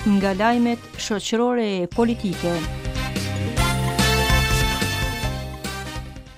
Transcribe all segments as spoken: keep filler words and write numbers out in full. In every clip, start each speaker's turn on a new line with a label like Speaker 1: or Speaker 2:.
Speaker 1: Nga lajmet shoqërore e politike.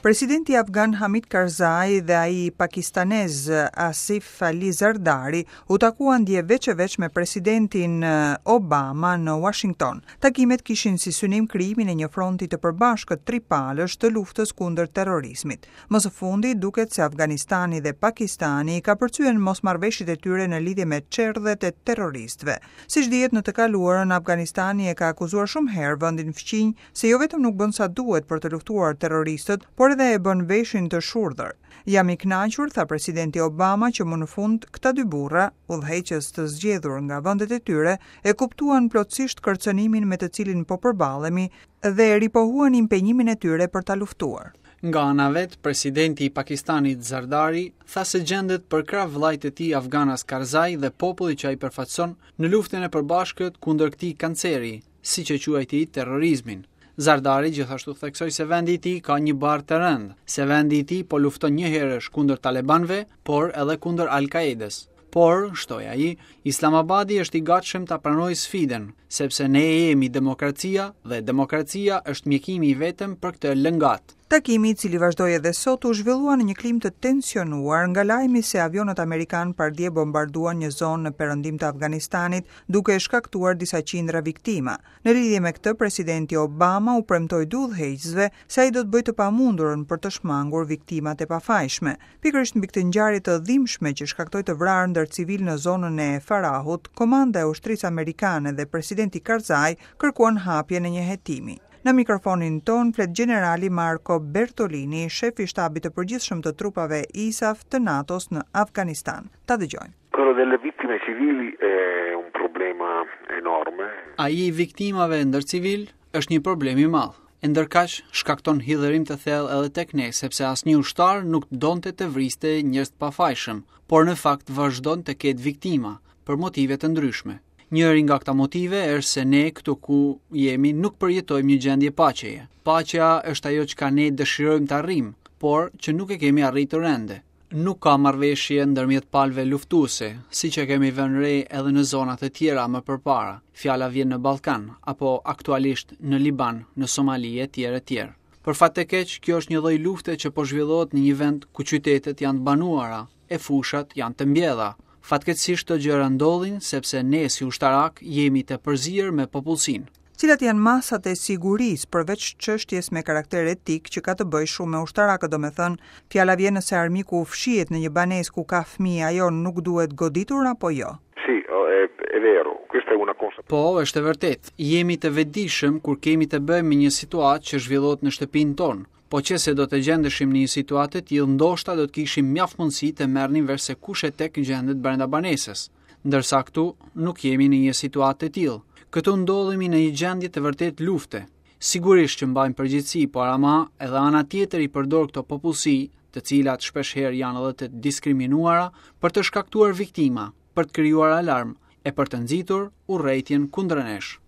Speaker 2: Presidenti afgan Hamid Karzai dhe ai pakistanez Asif Ali Zardari u takuan dje veç e veç me presidentin Obama në Washington. Takimet kishin si synim krijimin e një fronti të përbashkët tripalësh të luftës kundër terrorizmit. Më së fundi duket se Afganistani dhe Pakistani ka përcyen mosmarrëveshjet e tyre në lidhje me çerdhet e terroristëve. Siç dihet, në të kaluarën Afganistani e ka akuzuar shumë herë vendin fqinj se jo vetëm nuk bën sa duhet për të luftuar terroristët, por edhe e bën veshin të shurdhër. Jam i kënaqur, tha presidenti Obama, që më në fund këta dy burra, udhëheqës të zgjedhur nga vendet e tyre, e kuptuan plotësisht kërcënimin me të cilin po përballemi dhe e ripohuan impenjimin e tyre për ta luftuar.
Speaker 3: Nga ana vet, presidenti i Pakistanit Zardari tha se gjendet përkrah vëllait të tij afganas Karzai dhe popullit që ai përfaqëson në luftën e përbashkët kundër këtij kanceri, siç e quajti terrorizmin. Zardari gjithashtu theksoi se vendi i tij ka një barrë të rëndë, se vendi i tij po lufton njëherësh kundër talebanëve, por edhe kundër Al-Qaedës. Por, shtoi ai, Islamabadi është i gatshëm ta pranojë sfidën, sepse ne jemi demokracia dhe demokracia është mjekimi i vetëm për këtë lëngat.
Speaker 2: Takimi, i cili vazhdoi edhe sot, u zhvillua në një klimë të tensionuar nga lajmi se avionët amerikanë pardje bombarduan një zonë në perëndim të Afganistanit, duke shkaktuar disa qindra viktima. Në lidhje me këtë, presidenti Obama u premtoi dy udhëheqësve se ai do të bëjë të pamundurën për të shmangur viktimat e pafajshme. Pikërisht mbi këtë ngjarje të dhimbshme që shkaktoi të vrarë ndër civil në zonën e Farahut, komanda e ushtrisë amerikane dhe presidenti Karzai kërkuan hapjen e një hetimi. Në mikrofonin ton flet gjenerali Marco Bertolini, shefi i shtabit të përgjithshëm të trupave I S A F të NATO-s në Afganistan. Ta dëgjojmë.
Speaker 4: Quello delle vittime civili è un problema enorme.
Speaker 3: Ai i viktimave ndër civil është një problem i madh. E ndërkaq shkakton hidhërim të thellë edhe tek ne, sepse asnjë ushtar nuk donte të vriste njerëz të pafajshëm, por në fakt vazhdon të ketë viktima për motive të ndryshme. Njëri nga këta motive është se ne këtu ku jemi nuk përjetojmë një gjendje paqeje. Paqja është ajo çka ne dëshirojmë të arrijmë, por që nuk e kemi arritur ende. Nuk ka marrëveshje ndërmjet palëve luftuese, siç e kemi vënë re edhe në zonat e tjera më përpara. Fjala vjen në Ballkan apo aktualisht në Liban, në Somali e tjerë e tjerë. Për fat të keq, kjo është një lloj lufte që po zhvillohet në një vend ku qytetet janë të banuara e fushat janë të mbjella. Fatkeqësisht këto gjëra ndodhin sepse ne si ushtarak jemi të përzier me popullsinë.
Speaker 2: Cilat janë masat e sigurisë përveç çështjes me karakter etik që ka të bëjë shumë me ushtarakët, domethënë, fjala vjen nëse armiku fshihet në një banesë ku ka fëmijë, ajo nuk duhet goditur apo jo?
Speaker 4: Sì, è, è vero, questa è una consapevolezza.
Speaker 3: Po, është e vërtetë. Jemi të vetëdijshëm kur kemi të bëjmë me një situatë që zhvillohet në shtëpinë tonë. Po që se do të gjendeshim në një situatë të tillë, ndoshta do të kishim mjaft mundësi të merrnim vesh se kush e tek gjendet brenda banesës. Ndërsa këtu nuk jemi në një situatë të tillë. Këtu ndodhemi në një gjendje të vërtetë lufte. Sigurisht që mbajmë përgjegjësi, por ama edhe ana tjetër i përdor këto popullsi, të cilat shpesh herë janë edhe të diskriminuara, për të shkaktuar viktima, për të krijuar alarm e për të nxitur urrejtjen kundër nesh.